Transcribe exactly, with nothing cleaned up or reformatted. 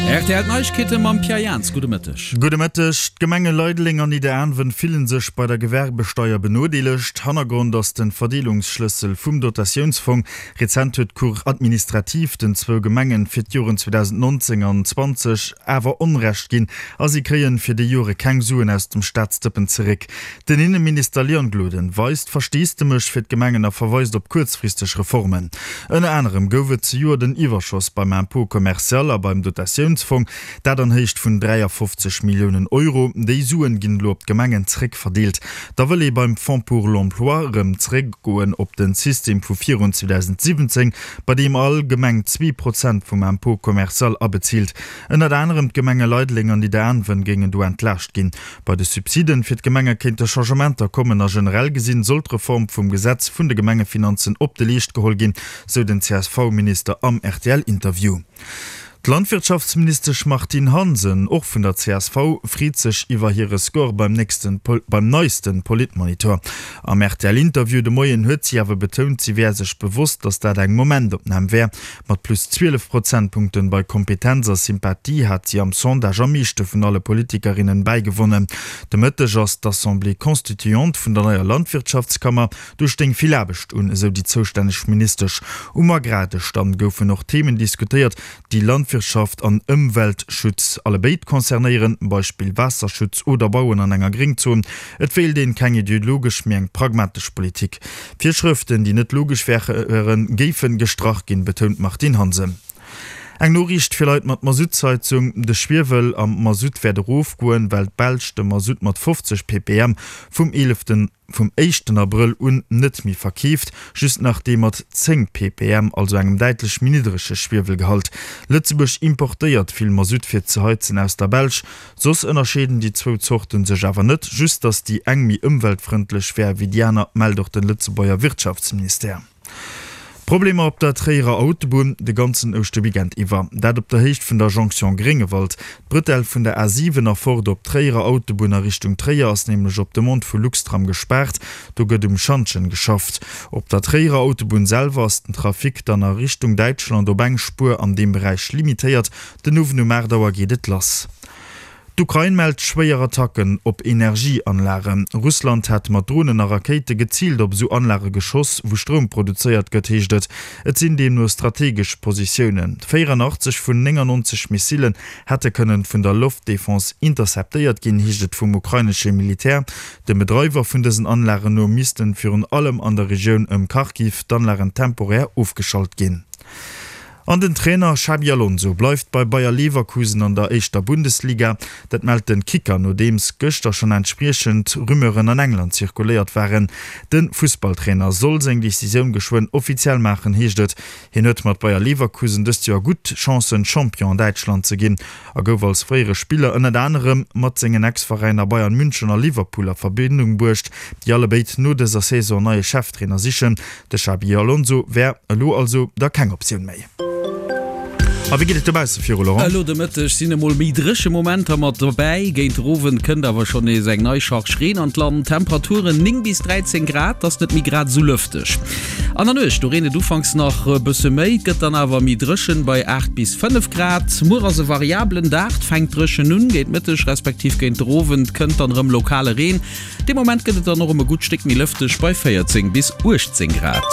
Rtl Neiegkeete mam Pierre Jans. Gudde Mëtteg. Gudde Mëtteg. D'Gemenge Leideleng an Nidderaanwen fillen sech bei der Gewerbesteier benodeelegt. Hannergrond ass de Verdeelungsschlëssel vum Dotatiounsfong. Rezent huet d'Cour administrative den zwou Gemengen fir d'Joren zweedausendnonzéng an zwanzeg awer Onrecht ginn a si kréien fir déi Jore keng Suen aus dem Staatsdëppen zeréck. Den Inneminister Leon Gloden weist Versteesdemech fir d'Gemengen a verweist op kuerzfristeg Reformen. Ënner anerem gouf et zejoert en Iwwerschoss beim Impôt commercial a beim Dotatiounsfong, dat an Héicht vun dräiafofzeg Milliounen Euro. Déi Suen ginn elo op d'Gemengen zréckverdeelt. Da wëll ee beim Fonds pour l'emploi erëm zréckgoen op de System vu virun zweedausendsiwwenzéng, bei deem all Gemeng zwee Prozent vum Impôt commercial abezilt. Ënnert anerem d'Gemenge Leideleng an Nidderaanwen géingen do entlaascht ginn. Bei de Subsiden fir d'Gemenge kéinte Changementer kommen a generell gesinn soll d'Reform vum Gesetz vun de Gemengefinanzen op de Leescht geholl ginn, sou den C S V-Minister am R T L-Interview. D'Landwirtschaftsministesch Martine Hansen, och vun der C S V, freet sech iwwer hire Score beim nächsten beim neisten Politmonitor. Am R T L-Interview de Moien huet si awer betount, si wär sech bewosst, datt dat eng Momentopnam wär. Mat plus zwielef Prozentpunkten bei Kompetenz a Sympathie hat si am Sondage am meeschte vun alle Politikerinnen bäigewonnen. De Mëtteg ass d'Assemblée constituante vun der neier Landwirtschaftskammer. Do stéing vill Aarbecht un, esou déi zoustänneg Ministesch. Um Agrardësch dann goufen och Themen diskutéiert, déi Landwirtschaft an Ëmweltschutz allebéid concernéieren, Beispill Waasserschutz oder Bauen an enger Gréngzon. Et wéilt een keng ideologesch, mee eng pragmatesch Politik. Virschrëften, déi net logesch wären, géifen gestrach ginn, betount d'Martine Hansen. Eng Noriicht fir Leit mat Masuttsheizung, De Schwiewel am Masutt wäert erofgoen, well d'Belsch de Masutt mat fofzeg ppm vum eeleften vum éischten Abrëll un net méi verkeeft, just nach dee mat zéng ppm, also engem däitlech méi niddrege Schwiewelgehalt. Lëtzebuerg importéiert vill Masutt fir ze heizen aus der Belsch. Soss ënnerscheeden déi zwou Zorte sech awer net, just datt déi eng méi ëmweltfrëndlech wär wéi déi aner, mellt och den Lëtzebuerger Wirtschaftsministère. Problemer op der Tréierer Autobunn de ganzen Ouschterweekend iwwer. Dat op der Héicht vun der Jonction Gréngewald. D'Brëtell vun der A siwen erfort op d'Tréierer Autobunn a Richtung Tréier ass nämlech op Demande vu Luxtram gespaart. Do gëtt um Schantjen geschafft. Op der Tréierer Autobunn selwer ass den Trafic dann a Richtung Däitschland op eng Spuer an deem Beräich limitéiert. Den Owend um aacht Auer geet et lass. D'Ukrain mellt schwéier Attacken op Energieanlagen. Russland hätt mat Dronen a Rakéite geziilt op esou Anlage geschoss, wou Stroum produzéiert gëtt, heescht et. Et sinn deemno strategesch Positiounen. véierunachtzeg vun néngannonzeg Missillen hätte kënnen vun der Loftdefense interceptéiert ginn, heescht et vum ukrainesche Militär. Dem Bedreiwer vun dësen Anlagen no missten virun allem an der Regioun ëm Kharkiv d'Anlagen temporär ofgeschalt ginn. An den Trainer Xabi Alonso bleift bei Bayer Leverkusen an der éischter Bundesliga. Dat mellt den Kicker, nodeems gëschter schonn entspriechend Rumeuren an England zirkuléiert waren. De Fussballtrainer soll seng Decisioun geschwënn offiziell maachen, heescht et. Hien huet mat Bayer Leverkusen dëst Joer gutt Chancen, Champion an Däitschland ze ginn a gouf als fréiere Spiller ënnert anerem mat sengen Ex-Veräiner Bayern München a Liverpool a Verbindung bruecht, déi allebéid no dëser Saison en neie Cheftrainer sichen. De Xabi Alonso wär elo also da keng Optioun méi. A wéi geet et dobausse viru, Laurent? Elo de Mëtteg sinn emol méi dréche Momenter mat dobäi. Géint den Owend kënnt awer schonn nees eng nei Charge Reen an d'Land. Temperaturen néng bis dräizéng Grad, ass net méi grad esou lëfteg. An der Nuecht, do reent et ufanks nach e bësse méi, et gëtt dann awer méi dréchen bei aacht bis fënnef Grad. Muer ass e variabelen Dag, et fänkt dréchen un, géint Mëtteg respektiv géint den Owend kënnt dann erëm lokale Reen. Dee Moment gëtt et dann och erëm e gutt Stéck méi lëfteg bei véierzéng bis uechtzéng Grad.